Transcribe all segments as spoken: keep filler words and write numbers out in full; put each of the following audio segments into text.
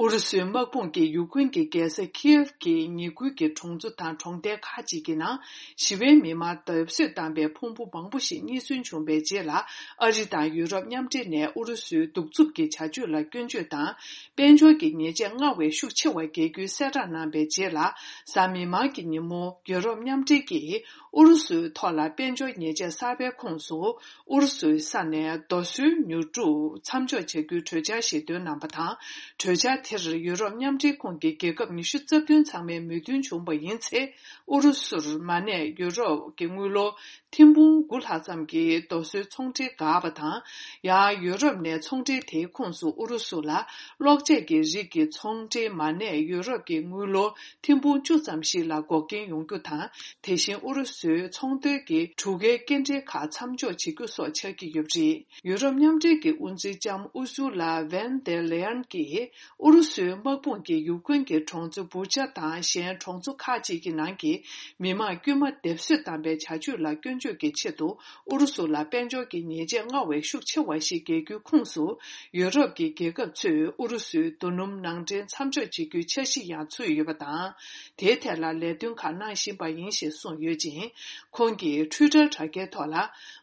ཨུ་རུ་སུའི་དམག་དཔུང་གིས་ཡུ་ཁུན་གྱི་རྒྱལ་ས་ཁིའེབ་ཀྱི་ཉེ་ཁུལ་གྱི་གྲོང་ཚོ་དང་གྲོང་རྡལ་ཁག་ཅིག་གི་ནང་ཞི་བའི་མི་མང་སྡེབ་གསོད་བཏང་པའི་ཕུང་པོ་མང་པོ་ཞིག་རྙེད་སོན་བྱུང་བའི་རྗེས་ལ། ཨ་རི་དང་ཡུ་རོབ་མཉམ་འབྲེལ་ནས་ཨུ་རུ་སུའི་གདུག་རྩུབ་ཀྱི་བྱ་སྤྱོད་ལ་སྐྱོན་བརྗོད་དང་། དཔལ་འབྱོར་གྱི་ཉེས་ཆད་སྔར་བས་ཤུགས་ཆེ་བ་འགེལ་རྒྱུའི་གསལ་བསྒྲགས་གནང་བའི་རྗེས་ལ། གཟའ་མིག་དམར་གྱི་ཉིན་མོ། ཡུ་རོབ་མཉམ་འབྲེལ་གྱིས་ཨུ་རུ་སུའི་ཐོག་ལ་དཔལ་འབྱོར་ཉེས་ཆད་གསར་པའི་ཁོངས་སུ། ཨུ་རུ་སུའི་ས་ནས་རྡོ་སོལ་ཉོ་སྒྲུབ་མཚམས་འཇོག་བྱ་རྒྱུའི་གྲོས་འཆར་ཞིག་བཏོན་གནང་བ་དང་། གྲོས་འཆར་དེར་ཡུ་རོབ་མཉམ་འབྲེལ་ཁོངས་ཀྱི་རྒྱལ་ཁབ་ཉི་ཤུ་རྩ་བདུན་ཚང་མས་མོས་མཐུན་བྱུང་བ་ཡིན་ཚེ། ཨུ་རུ་སུར་མ་གནས་ཡུ་རོབ་ཀྱི་དངུལ་ལོར་ཐེར་འབུམ་དགུ་ལྷག་ཙམ་གྱི་རྡོ་སོལ་ཚོང་འབྲེལ་འགག་པ་དང་། ཡང་ཡུ་རོབ་ནས་ཚོང་འབྲེལ་དེའི་ཁོངས་སུ་ཨུ་རུ་སུ་ལ་གློག་ཆས་ཀྱི་རིགས་ཀྱི་ཚོང་འབྲེལ་མ་གནས་ཡུ་རོབ་ཀྱི་དངུལ་ལོར་ཐེར་འབུམ་བཅུ་ཙམ་ཞིག་ལ་འགོག་རྐྱེན་ཡོང་རྒྱུ་དང་། དེ་བཞིན་ཨུ་རུ་སུའི་ཚོང་དོན་གྱི་གྲུ་ཁའི་སྐྱེལ་འདྲེན་ཁག་མཚམས་འཇོག་བྱེད་རྒྱུ་སོགས་ཆགས་ཀྱི་ཡོད་པ་རེད། ཡུ་རོབ་མཉམ་འབྲེལ་གྱི་དབུ་འཛིན་ལྕམ་ཨུར་སུ་ལ་ཝན་དེ་ལེ་ཡན་གྱིས་ཨུ་རུ་སུའི་དམག་དཔུང་གིས་ཡུ་ཁུན་གྱི་གྲོང་ཚོ་བུ་ཆ་དང་གཞན་གྲོང་ཚོ་ཁག་ཅིག་གི་ནང་གི་མི་མང་དཀྱུས་མ་སྡེབ་གསོད་བཏང་པའི་བྱ་སྤྱོད་ལ་སྐྱོན་བརྗོད་ཀྱི་ཆེད་དུ། ཨུ་རུ་སུ་ལ་དཔལ་འབྱོར་གྱི་ཉེས་ཆད་སྔར་བས་ཤུགས་ཆེ་བ་ཞིག་འགེལ་རྒྱུའི་ཁོངས་སུ། ཡུ་རོབ་ཀྱི་རྒྱལ་ཁབ་ཚོས་ཨུ་རུ་སུའི་རྡོ་སྣུམ་ནང་འདྲེན་མཚམས་འཇོག་བྱེད་རྒྱུའི་འཆར་གཞི་ཡང་ཚུད་ཡོད་པ་དང་། དེའི་ཐད་ལ་ལས་དོན་ཁག་གནང་བཞིན་པ་ཡིན་ཞེས་གསུངས་ཡོད་ཅིང་། ཁོང་གིས་ཊུའི་ཊར་དྲ་རྒྱའི་ཐོག་ལ།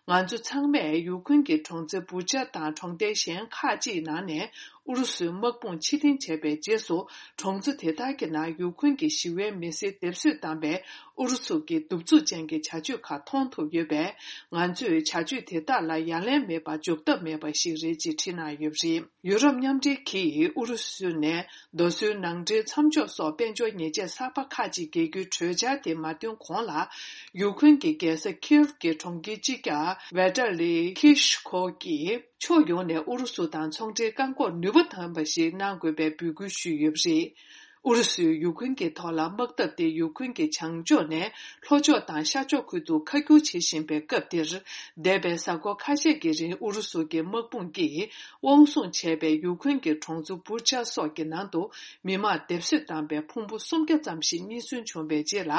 ང་ཚོ་ཚང་མས་ཡུ་ཁུན་གྱི་གྲོང་ཚོ་བུ་ཆ་དང་གྲོང་རྡལ་གཞན་ཁག་ཅིག་ནང་ནས། ཨུ་རུ་སུའི་དམག་དཔུང་ཕྱིར་འཐེན་བྱས་པའི་རྗེས་སུ། གྲོང་ཚོ་དེ་དག་གི་ནང་ཡུ་ཁུན་གྱི་ཞི་བའི་མི་སེར་སྡེབ་གསོད་བཏང་པའི་ཨུ་རུ་སུ་གྱི་གདུག་རྩུབ་ཅན་གྱི་བྱ་སྤྱོད་ཁག་མཐོང་ཐུབ་ཡོད་པས། ང་ཚོས་བྱ་སྤྱོད་དེ་དག་ལ་ཡ་ལན་མེད་པར་འཇོག་ཐབས་མེད་པ་ཞིག་རེད་ཅེས་བྲིས་གནང་ཡོད་པ་རེད། ཡུ་རོབ་མཉམ་འབྲེལ་གྱིས་ཨུ་རུ་སུ་ནས་རྡོ་སོལ་ནང་འདྲེན་མཚམས་འཇོག་སོགས་དཔལ་འབྱོར་ཉེས་ཆད་གསར་པ་ཁག་ཅིག་འགེལ་རྒྱུའི་གྲོས་འཆར་དེ་མ་བཏོན་གོང་ལ། ཡུ་ཁུན་གྱི་རྒྱལ་ས་ཁིའེབ་ཀྱི་གྲོང་ཁྱེར་སྤྱི་ཁྱབ་ཝེ་ཏཱ་ལི་ཁི་ཤི་ཁོ་གིས། ཕྱོགས་ཡོངས་ནས་ཨུ་རུ་སུ་དང་ཚོང་འབྲེལ་བཀག་འགོག་ནུས་པ་ལྡན་པ་ཞིག་གནང་དགོས་པའི་འབོད་སྐུལ་ཞུས་ཡོད་པ་རེད། ཨུ་རུ་སུས་ཡུ་ཁུན་གྱི་ཐོག་ལ་དམག་འཐབ་སྟེ་ཡུ་ཁུན་གྱི་བྱང་ཕྱོགས་ནས་ལྷོ་ཕྱོགས་དང་ཤར་ཕྱོགས་ཁུལ་དུ་ཁ་སྒྱུར་བྱེད་བཞིན་པའི་སྐབས་འདིར། འདས་པའི་གཟའ་འཁོར་ཁ་ཤས་ཀྱི་རིང་ཨུ་རུ་སུ་གྱི་དམག་དཔུང་གིས་དབང་བཟུང་བྱས་པའི་ཡུ་ཁུན་གྱི་གྲོང་ཚོ་བུ་ཆ་སོགས་ཀྱི་ནང་དུ་མི་མང་སྡེབ་གསོད་བཏང་པའི་ཕུང་པོ་སུམ་བརྒྱ་ཙམ་ཞིག་རྙེད་སོན་བྱུང་བའི་རྗེས་ལ།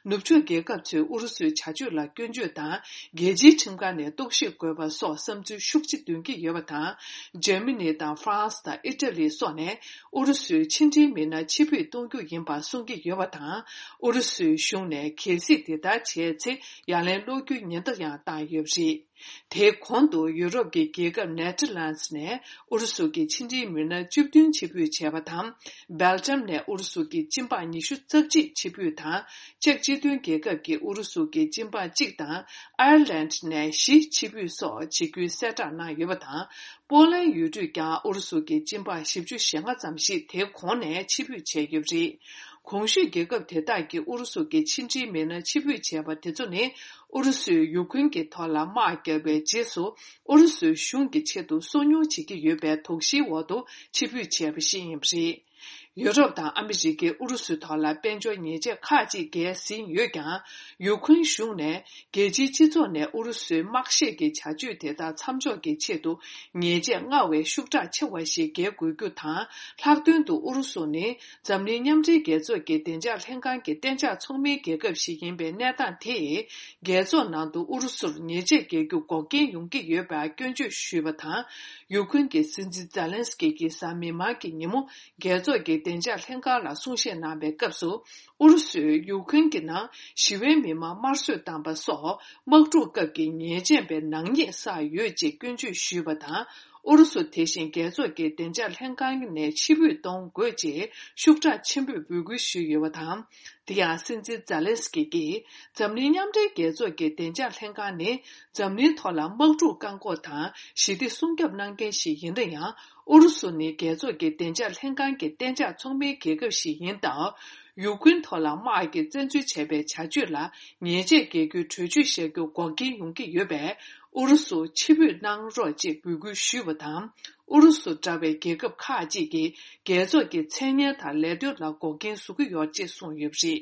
ནུབ་ཕྱོགས་རྒྱལ་ཁབ་ཚོས་ཨུ་རུ་སུའི་བྱ་སྤྱོད་ལ་སྐྱོན་བརྗོད་དང་། རྒྱལ་སྤྱིའི་ཁྲིམས་ཁང་ནས་རྟོག་ཞིབ་དགོས་པ་སོགས་བསམ་ཚུལ་ཤུགས་ཆེ་འདོན་གྱི་ཡོད་པ་དང་། འཇར་མ་ནི་དང་ཧྥ་རན་སི་དང་ཨི་ཊ་ལི་སོགས་ནས་ཨུ་རུ་སུའི་ཕྱི་འབྲེལ་མི་སྣ་ཕྱིར་འབུད་གཏོང་རྒྱུ་ཡིན་པ་གསུང་གི་ཡོད་པ་དང་། ཨུ་རུ་སུའི་གཞུང་ནས་གལ་སྲིད་དེ་ལྟར་བྱས་ཚེ་ཡ་ལན་སློག་རྒྱུའི་ཉེན་བརྡ་ཡང་བཏང་ཡོད་པ་རེད། དེའི་གོང་དུ་ཡུ་རོབ་ཀྱི་རྒྱལ་ཁབ་ནེ་ཐར་ལན་སི་ནས་ཨུ་རུ་སུ་གྱི་ཕྱི་འབྲེལ་མི་སྣ་བཅུ་བདུན་ཕྱིར་འབུད་བྱས་པ་དང་། སྦེལ་ཇམ་ནས་ཨུ་རུ་སུ་གྱི་སྤྱི་འབངས་ཉི་ཤུ་རྩ་གཅིག་ཕྱིར་འབུད་དང་། ཅེཀ་སྤྱི་མཐུན་རྒྱལ་ཁབ་ཀྱི་ཨུ་རུ་སུ་གྱི་སྤྱི་འབངས་གཅིག་དང་། ཨའེ་ལན་ནས་བཞི་ཕྱིར་འབུད་སོགས་བྱེད་རྒྱུའི་གསལ་བསྒྲགས་གནང་ཡོད་པ་དང་། པོ་ལན་ཡུལ་གྲུས་ཀྱང་ཨུ་རུ་སུ་གྱི་སྤྱི་འབངས་བཞི་བཅུ་ཞེ་ལྔ་ཙམ་ཞིག་དེ་གོང་ནས་ཕྱིར་འབུད་བྱས་ཡོད་པ་རེད། གོང་ཞུས་རྒྱལ་ཁབ་དེ་དག་གིས་ཨུ་རུ་སུ་གྱི་ཕྱི་འབྲེལ་མི་སྣ་ཕྱིར་འབུད་བྱས་པ་དེ་ཚོ་ནི། ཨུ་རུ་སུས་ཡུ་ཁུན་གྱི་ཐོག་ལ་དམག་བརྒྱབ་པའི་རྗེས་སུ། ཨུ་རུ་སུའི་གཞུང་གི་ཆེད་དུ་སོ་ཉུལ་བྱེད་ཀྱི་ཡོད་པའི་དོགས་གཞིའི་འོག་ཏུ་ཕྱིར་འབུད་བྱས་པ་ཞིག་ཡིན་པ་རེད། ཡུ་རོབ་དང་ཨ་མི་རི་ཀས་ཨུ་རུ་སུའི་ཐོག་ལ་དཔལ་འབྱོར་ཉེས་ཆད་ཁག་ཅིག་འགེལ་ཟིན་ཡོད་ཀྱང་། ཡུ་ཁུན་གཞུང་ནས་རྒྱལ་སྤྱིའི་སྤྱི་ཚོགས་ནས་ཨུ་རུ་སུའི་དམག་བཤེད་ཀྱི་བྱ་སྤྱོད་དེ་དག་མཚམས་འཇོག་གི་ཆེད་དུ། ཉེས་ཆད་སྔར་བས་ཤུགས་དྲག་ཆེ་བ་ཞིག་འགེལ་དགོས་རྒྱུ་དང་། ལྷག་དོན་དུ་ཨུ་རུ་སུ་ནི་འཛམ་གླིང་མཉམ་འབྲེལ་རྒྱལ་ཚོགས་ཀྱི་བདེ་འཇགས་ལྷན་ཁང་གི་གཏན་འཇགས་ཚོགས་མིའི་རྒྱལ་ཁབ་ཞིག་ཡིན་པའི་གནས་སྟངས་དེས། རྒྱལ་ཚོགས་ནང་དུ་ཨུ་རུ་སུར་ཉེས་ཆད་འགེལ་རྒྱུ་འགོག་རྐྱེན་ཡོང་གི་ཡོད་པར་སྐྱོན་བརྗོད་ཞུས་པ་དང་། ཡུ་ཁུན་གྱི་སྲིད་འཛིན་ཛེ་ལན་སི་ཀི་གིས་གཟའ་མིག་དམར་གྱི་ཉིན་མོ། རྒྱལ་ཚོགས་ཀྱི་བདེ་འཇགས་ལྷན་ཁང་ལ་གསུང་བཤད་གནང་བའི་སྐབས་སུ། ཨུ་རུ་སུས་ཡུ་ཁུན་གྱི་ནང་ཞི་བའི་མི་མང་དམར་གསོད་བཏང་པ་སོགས་དམག་འཁྲུག་སྐབས་ཀྱི་ཉེས་ཅན་པའི་ནག་ཉེས་བསགས་ཡོད་ཅེས་སྐྱོན་བརྗོད་ཞུས་པ་དང་། ཨུ་རུ་སུ་དེ་བཞིན་རྒྱལ་ཚོགས་ཀྱི་བདེ་འཇགས་ལྷན་ཁང་ནས་ཕྱིར་འབུད་གཏོང་དགོས་ཅེས་ཤུགས་དྲག་ཆེན་པོས་འབོད་སྐུལ་ཞུས་ཡོད་པ་དང་། དེ་ཡང་སྲིད་འཛིན་ཛ་ལན་སི་ཀི་གིས་འཛམ་གླིང་མཉམ་འབྲེལ་རྒྱལ་ཚོགས་ཀྱི་བདེ་འཇགས་ལྷན་ཁང་ནི་འཛམ་གླིང་ཐོག་ལ་དམག་འཁྲུག་བཀག་འགོག་དང་ཞི་བདེ་སྲུང་སྐྱོབ་གནང་མཁན་ཞིག་ཡིན་ན་ཡང་། ཨུ་རུ་སུ་ནི་རྒྱལ་ཚོགས་ཀྱི་བདེ་འཇགས་ལྷན་ཁང་གི་གཏན་འཇགས་ཚོགས་མིའི་རྒྱལ་ཁབ་ཞིག་ཡིན་སྟབས། ཡུ་ཀེ་རེན་ཐོག་ལ་དམག་གིས་བཙན་འཛུལ་བྱས་པའི་བྱ་སྤྱོད་ལ་ཉེས་ཆད་འགེལ་རྒྱུའི་གྲོས་ཆོད་བཞག་རྒྱུ་འགོག་རྐྱེན་ཡོང་གི་ཡོད་པས། ཨུ་རུ་སུ་ཕྱིར་འབུད་གནང་རོགས་ཅེས་འབོད་སྐུལ་ཞུས་པ་དང་། ཨུ་རུ་སུ་འདྲ་བའི་རྒྱལ་ཁབ་ཁག་ཅིག་གིས་རྒྱལ་ཚོགས་ཀྱི་མཚན་སྙན་དང་ལས་དོན་ལ་འགོག་རྐྱེན་བཟོ་གི་ཡོད་ཅེས་གསུངས་ཡོད་པ་རེད།